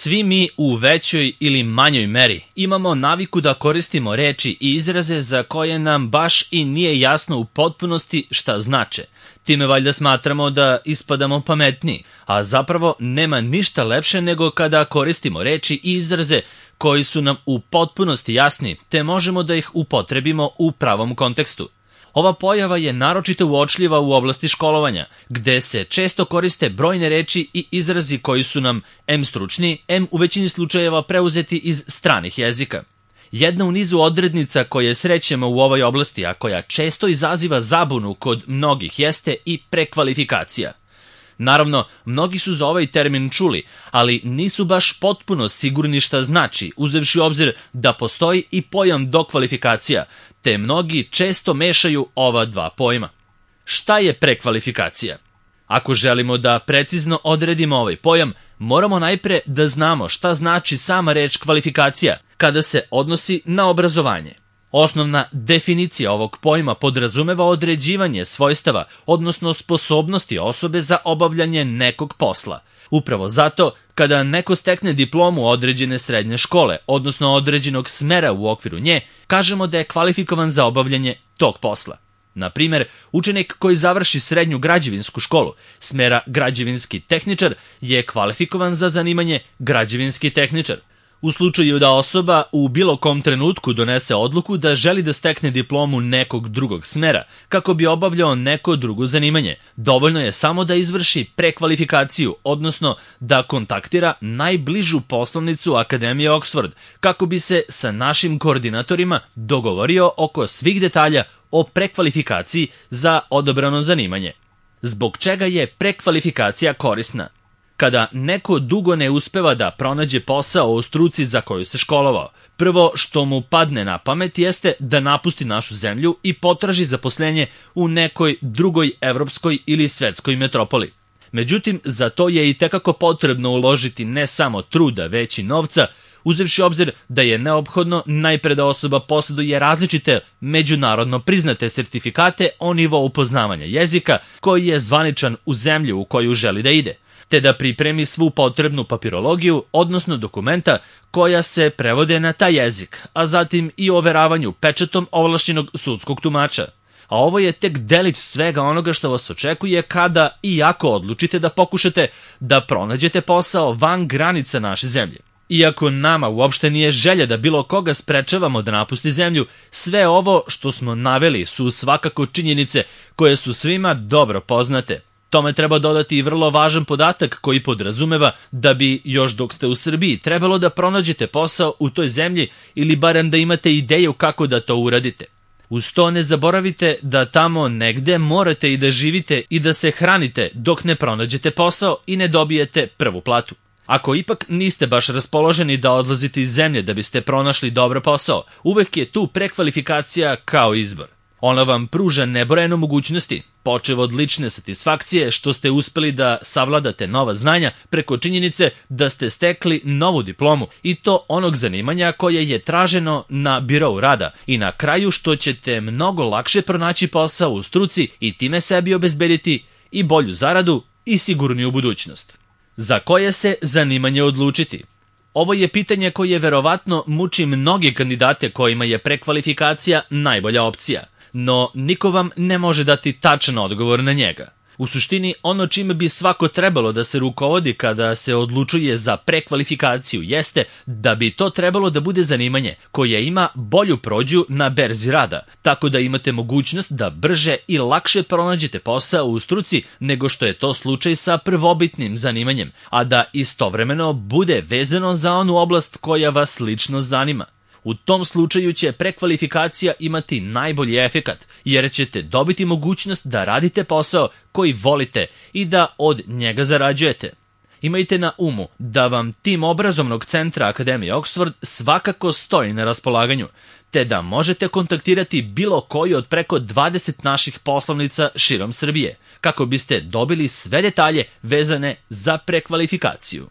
Svi mi u većoj ili manjoj meri imamo naviku da koristimo reči i izraze za koje nam baš i nije jasno u potpunosti šta znače. Time valjda smatramo da ispadamo pametniji, a zapravo nema ništa lepše nego kada koristimo reči i izraze koji su nam u potpunosti jasni, te možemo da ih upotrebimo u pravom kontekstu. Ova pojava je naročito uočljiva u oblasti školovanja, gde se često koriste brojne reči i izrazi koji su nam em stručni, em u većini slučajeva preuzeti iz stranih jezika. Jedna u nizu odrednica koje srećemo u ovoj oblasti, a koja često izaziva zabunu kod mnogih, jeste i prekvalifikacija. Naravno, mnogi su za ovaj termin čuli, ali nisu baš potpuno sigurni šta znači, uzevši u obzir da postoji i pojam dokvalifikacija, te mnogi često mešaju ova dva pojma. Šta je prekvalifikacija? Ako želimo da precizno odredimo ovaj pojam, moramo najpre da znamo šta znači sama reč kvalifikacija kada se odnosi na obrazovanje. Osnovna definicija ovog pojma podrazumeva određivanje svojstava, odnosno sposobnosti osobe za obavljanje nekog posla. Upravo zato, kada neko stekne diplomu određene srednje škole, odnosno određenog smera u okviru nje, kažemo da je kvalifikovan za obavljanje tog posla. Na primjer, učenik koji završi srednju građevinsku školu, smera građevinski tehničar, je kvalifikovan za zanimanje građevinski tehničar. U slučaju da osoba u bilo kom trenutku donese odluku da želi da stekne diplomu nekog drugog smera kako bi obavljao neko drugo zanimanje, dovoljno je samo da izvrši prekvalifikaciju, odnosno da kontaktira najbližu poslovnicu Akademije Oxford kako bi se sa našim koordinatorima dogovorio oko svih detalja o prekvalifikaciji za odabrano zanimanje. Zbog čega je prekvalifikacija korisna? Kada neko dugo ne uspeva da pronađe posao u struci za koju se školovao, prvo što mu padne na pamet jeste da napusti našu zemlju i potraži zaposlenje u nekoj drugoj evropskoj ili svetskoj metropoli. Međutim, za to je i tekako potrebno uložiti ne samo truda, već i novca, uzevši obzir da je neophodno najpre da osoba posjeduje različite međunarodno priznate sertifikate o nivou poznavanja jezika koji je zvaničan u zemlji u koju želi da ide, te da pripremi svu potrebnu papirologiju, odnosno dokumenta koja se prevode na taj jezik, a zatim i overavanju pečatom ovlašćenog sudskog tumača. A ovo je tek delić svega onoga što vas očekuje kada i ako odlučite da pokušate da pronađete posao van granica naše zemlje. Iako nama uopšte nije želja da bilo koga sprečavamo da napusti zemlju, sve ovo što smo naveli su svakako činjenice koje su svima dobro poznate. Tome treba dodati i vrlo važan podatak koji podrazumeva da bi još dok ste u Srbiji trebalo da pronađete posao u toj zemlji ili barem da imate ideju kako da to uradite. Uz to ne zaboravite da tamo negde morate i da živite i da se hranite dok ne pronađete posao i ne dobijete prvu platu. Ako ipak niste baš raspoloženi da odlazite iz zemlje da biste pronašli dobar posao, uvek je tu prekvalifikacija kao izbor. Ona vam pruža nebrojeno mogućnosti, počev od lične satisfakcije što ste uspeli da savladate nova znanja preko činjenice da ste stekli novu diplomu i to onog zanimanja koje je traženo na birou rada i na kraju što ćete mnogo lakše pronaći posao u struci i time sebi obezbediti i bolju zaradu i sigurniju budućnost. Za koje se zanimanje odlučiti? Ovo je pitanje koje verovatno muči mnogi kandidate kojima je prekvalifikacija najbolja opcija. No, niko vam ne može dati tačan odgovor na njega. U suštini, ono čime bi svako trebalo da se rukovodi kada se odlučuje za prekvalifikaciju jeste da bi to trebalo da bude zanimanje koje ima bolju prođu na berzi rada, tako da imate mogućnost da brže i lakše pronađete posao u struci nego što je to slučaj sa prvobitnim zanimanjem, a da istovremeno bude vezano za onu oblast koja vas lično zanima. U tom slučaju će prekvalifikacija imati najbolji efekat, jer ćete dobiti mogućnost da radite posao koji volite i da od njega zarađujete. Imajte na umu da vam tim obrazovnog centra Akademije Oxford svakako stoji na raspolaganju, te da možete kontaktirati bilo koju od preko 20 naših poslovnica širom Srbije, kako biste dobili sve detalje vezane za prekvalifikaciju.